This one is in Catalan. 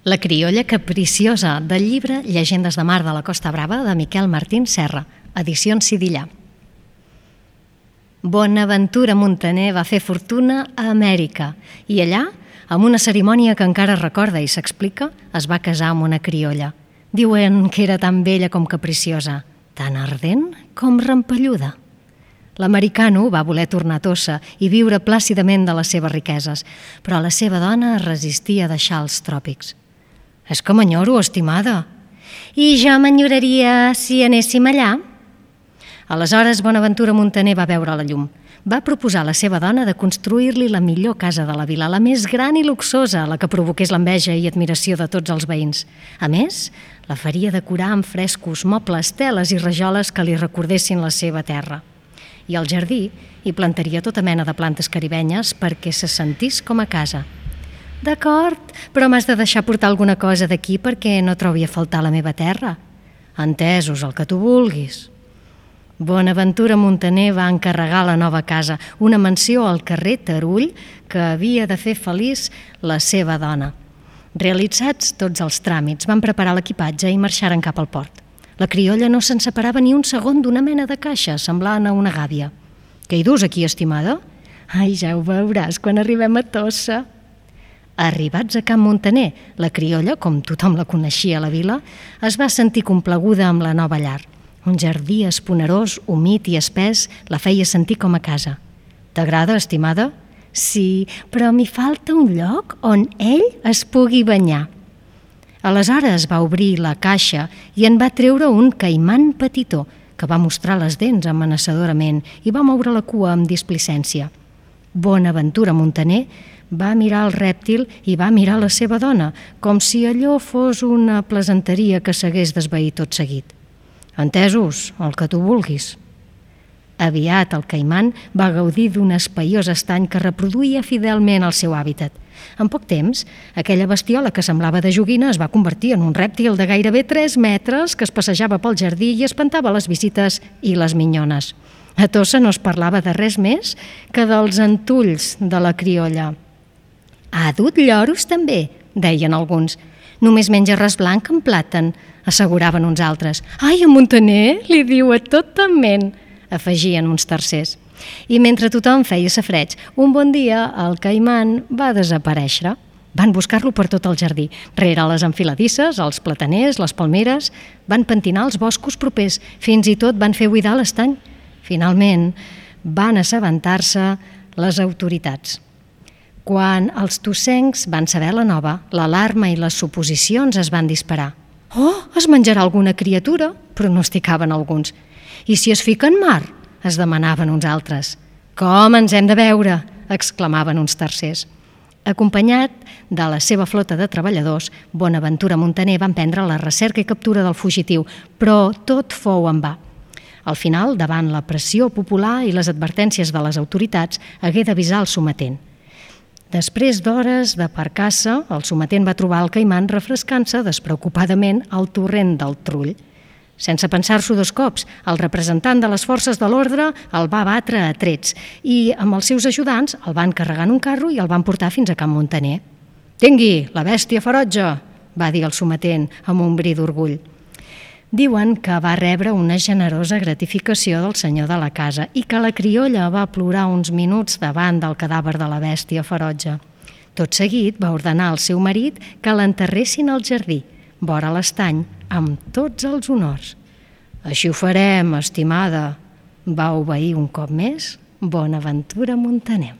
La criolla capriciosa, del llibre Llegendes de mar de la Costa Brava de Miquel Martín Serra, edicions Sidillà. Bonaventura Muntaner va fer fortuna a Amèrica i allà, amb una cerimònia que encara recorda i s'explica, es va casar amb una criolla. Diuen que era tan bella com capriciosa, tan ardent com rampelluda. L'americano va voler tornar a Tossa i viure plàcidament de les seves riqueses, però la seva dona es resistia a deixar els tròpics. És que m'enyoro, estimada. I jo m'enyoraria si anéssim allà? Aleshores, Bonaventura Muntaner va veure la llum. Va proposar a la seva dona de construir-li la millor casa de la vila, la més gran i luxosa, la que provoqués l'enveja i admiració de tots els veïns. A més, la faria decorar amb frescos, mobles, teles i rajoles que li recordessin la seva terra. I al jardí hi plantaria tota mena de plantes caribenyes perquè se sentís com a casa. D'acord, però m'has de deixar portar alguna cosa d'aquí perquè no trobi a faltar la meva terra. Entesos, el que tu vulguis. Bonaventura Muntaner va encarregar la nova casa, una mansió al carrer Tarull que havia de fer feliç la seva dona. Realitzats tots els tràmits, van preparar l'equipatge i marxaren cap al port. La criolla no se'n separava ni un segon d'una mena de caixa, semblant a una gàbia. Què hi dus aquí, estimada? Ai, ja ho veuràs quan arribem a Tossa. Arribats a Can Muntaner, la criolla, com tothom la coneixia a la vila, es va sentir complaguda amb la nova llar. Un jardí esponerós, humit i espès la feia sentir com a casa. T'agrada, estimada? Sí, però m'hi falta un lloc on ell es pugui banyar. Aleshores va obrir la caixa i en va treure un caiman petitó, que va mostrar les dents amenaçadorament i va moure la cua amb displicència. Bonaventura Muntaner va mirar el rèptil i va mirar la seva dona, com si allò fos una plesanteria que s'hagués d'esvair tot seguit. Entesos, el que tu vulguis. Aviat el caiman va gaudir d'un espaiós estany que reproduïa fidelment el seu hàbitat. En poc temps, aquella bestiola que semblava de joguina es va convertir en un rèptil de gairebé 3 metres que es passejava pel jardí i espantava les visites i les minyones. A Tossa no es parlava de res més que dels entulls de la criolla. Ha dut lloros també, deien alguns. Només menja arròs blanc amb plàtan, asseguraven uns altres. Ai, a Muntaner li diu a tota ment, afegien uns tercers. I mentre tothom feia safareig, un bon dia el caiman va desaparèixer. Van buscar-lo per tot el jardí, rere les enfiladisses, els plataners, les palmeres, van pentinar els boscos propers, fins i tot van fer buidar l'estany. Finalment, van assabentar-se les autoritats. Quan els tossencs van saber la nova, l'alarma i les suposicions es van disparar. Oh, es menjarà alguna criatura, pronosticaven alguns. I si es fica en mar? Es demanaven uns altres. Com ens hem de veure? Exclamaven uns tercers. Acompanyat de la seva flota de treballadors, Bonaventura Muntaner va emprendre la recerca i captura del fugitiu, però tot fou en va. Al final, davant la pressió popular i les advertències de les autoritats, hagué d'avisar el sometent. Després d'hores d'aparcar-se, el sometent va trobar el caiman refrescant-se despreocupadament al torrent del Trull. Sense pensar-s'ho 2 cops, el representant de les forces de l'ordre el va batre a trets i, amb els seus ajudants, el van carregar en un carro i el van portar fins a Can Muntaner. «Tingui, la bèstia ferotge», va dir el sometent amb un bri d'orgull. Diuen que va rebre una generosa gratificació del senyor de la casa i que la criolla va plorar uns minuts davant del cadàver de la bèstia ferotge. Tot seguit va ordenar al seu marit que l'enterressin al jardí, vora l'estany, amb tots els honors. «Així ho farem, estimada», va obeir un cop més Bonaventura Muntaner.